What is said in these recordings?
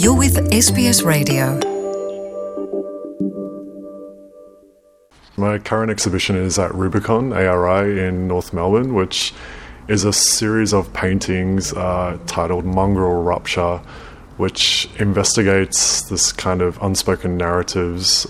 You're with SBS Radio. My current exhibition is at Rubicon, ARI, in North Melbourne, which is a series of paintings titled Mongrel Rupture, which investigates this kind of unspoken narratives.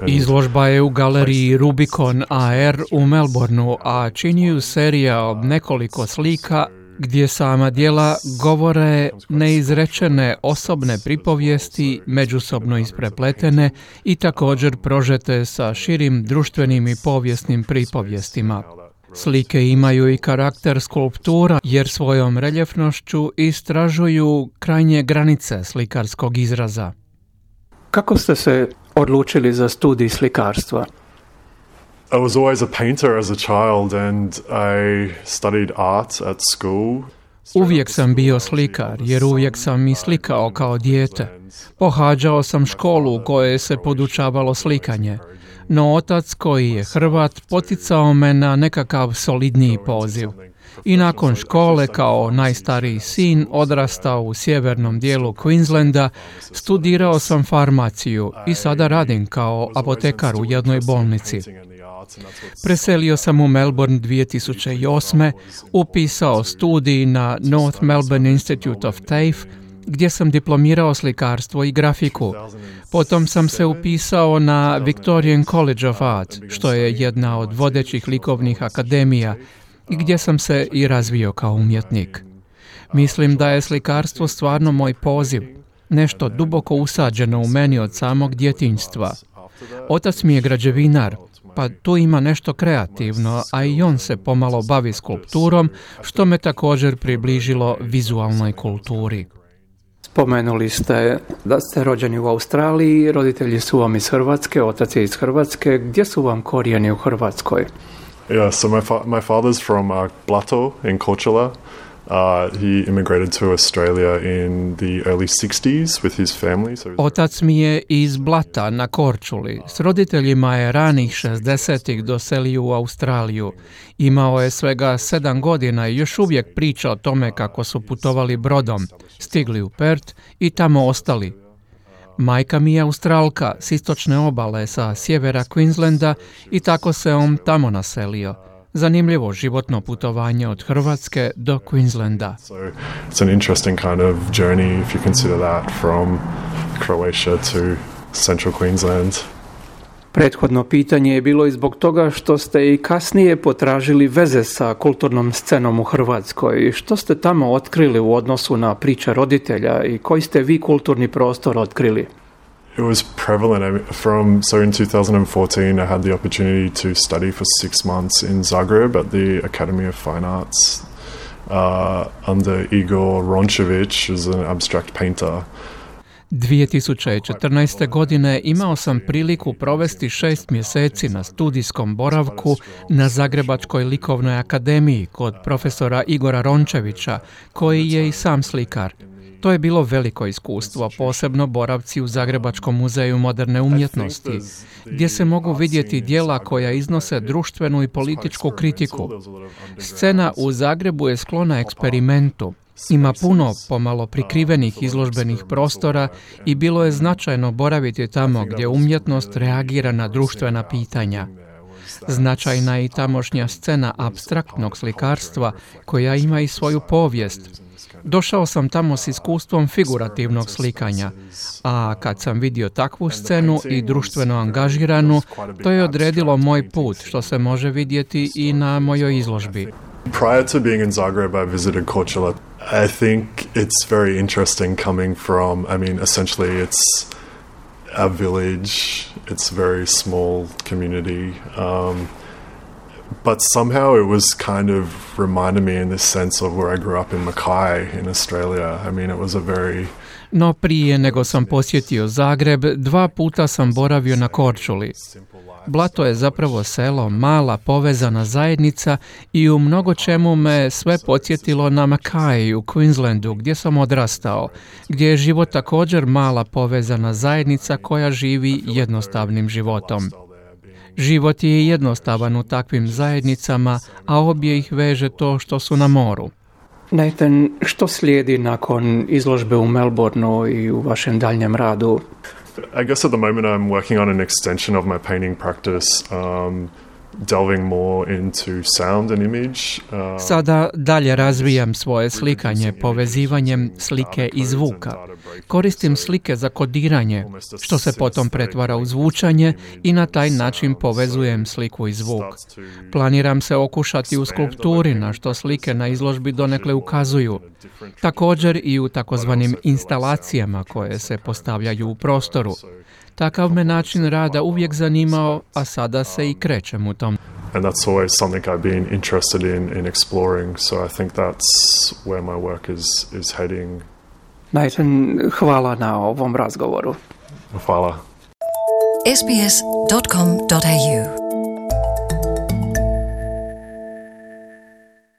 Izložba je u galeriji Rubicon AR u Melbourneu, a čini ju serija od nekoliko slika gdje sama djela govore neizrečene osobne pripovijesti, međusobno isprepletene i također prožete sa širim društvenim i povijesnim pripovjestima. Slike imaju i karakter skulptura jer svojom reljefnošću istražuju krajnje granice slikarskog izraza. Kako ste se odlučili za studij slikarstva? I was always a painter as a child and I studied art at school. Uvijek sam bio slikar, jer uvijek sam i slikao kao dijete. Pohađao sam školu u kojoj se podučavalo slikanje, no otac, koji je Hrvat, poticao me na nekakav solidniji poziv. I nakon škole, kao najstariji sin, odrastao u sjevernom dijelu Queenslanda, studirao sam farmaciju i sada radim kao apotekar u jednoj bolnici. Preselio sam u Melbourne 2008. Upisao studij na North Melbourne Institute of TAFE, gdje sam diplomirao slikarstvo i grafiku. Potom sam se upisao na Victorian College of Art, što je jedna od vodećih likovnih akademija, i gdje sam se i razvio kao umjetnik. Mislim da je slikarstvo stvarno moj poziv, nešto duboko usađeno u meni od samog djetinjstva. Otac mi je građevinar, pa tu ima nešto kreativno, a i on se pomalo bavi skulpturom, što me također približilo vizualnoj kulturi. Spomenuli ste da ste rođeni u Australiji, roditelji su vam iz Hrvatske, otac je iz Hrvatske. Gdje su vam korijeni u Hrvatskoj? Yeah, so my father's from Blato in Korčula. He immigrated to Australia in the early 60s with his family. Otac mi je iz Blata na Korčuli. S roditeljima je ranih 60-ih doselio u Australiju. Imao je svega 7 godina i još uvijek priča o tome kako su putovali brodom, stigli u Perth i tamo ostali. Majka mi je Australka s istočne obale sa sjevera Queenslanda i tako se on tamo naselio. Zanimljivo životno putovanje od Hrvatske do Queenslanda. So it's an interesting kind of journey if you consider that from Croatia to central Queensland. Prethodno pitanje je bilo i zbog toga što ste i kasnije potražili veze sa kulturnom scenom u Hrvatskoj. Što ste tamo otkrili u odnosu na priče roditelja i koji ste vi kulturni prostor otkrili? It was prevalent. So in 2014, I had the opportunity to study for 6 months in Zagreb at the Academy of Fine Arts under Igor Rončević, who's an abstract painter. 2014. godine imao sam priliku provesti 6 mjeseci na studijskom boravku na Zagrebačkoj likovnoj akademiji kod profesora Igora Rončevića, koji je i sam slikar. To je bilo veliko iskustvo, posebno boravci u Zagrebačkom muzeju moderne umjetnosti, gdje se mogu vidjeti djela koja iznose društvenu i političku kritiku. Scena u Zagrebu je sklona eksperimentu. Ima puno pomalo prikrivenih izložbenih prostora i bilo je značajno boraviti tamo gdje umjetnost reagira na društvena pitanja. Značajna je i tamošnja scena apstraktnog slikarstva koja ima i svoju povijest. Došao sam tamo s iskustvom figurativnog slikanja, a kad sam vidio takvu scenu i društveno angažiranu, to je odredilo moj put, što se može vidjeti i na mojoj izložbi. Prior to being in Zagreb, I visited Korčula. I think it's very interesting coming from, essentially it's a village, it's a very small community, but somehow it was kind of reminded me in this sense of where I grew up in Mackay in Australia. It was a very... No prije nego sam posjetio Zagreb, 2 puta sam boravio na Korčuli. Blato je zapravo selo, mala povezana zajednica i u mnogo čemu me sve podsjetilo na Mackay u Queenslandu gdje sam odrastao, gdje je život također mala povezana zajednica koja živi jednostavnim životom. Život je jednostavan u takvim zajednicama, a obje ih veže to što su na moru. Nathan, što slijedi nakon izložbe u Melbourneu i u vašem daljnjem radu? I guess at the moment I'm working on an extension of my painting practice, delving more into sound and image. Sada dalje razvijam svoje slikanje povezivanjem slike i zvuka. Koristim slike za kodiranje, što se potom pretvara u zvučanje i na taj način povezujem sliku i zvuk. Planiram se okušati u skulpturi, na što slike na izložbi donekle ukazuju. Također i u takozvanim instalacijama koje se postavljaju u prostoru. Takav me način rada uvijek zanimao, a sada se i krećem u tom. And that's always something I've been interested in exploring, so I think that's where my work is heading. Nathan, hvala na ovom razgovoru. Hvala. sbs.com.au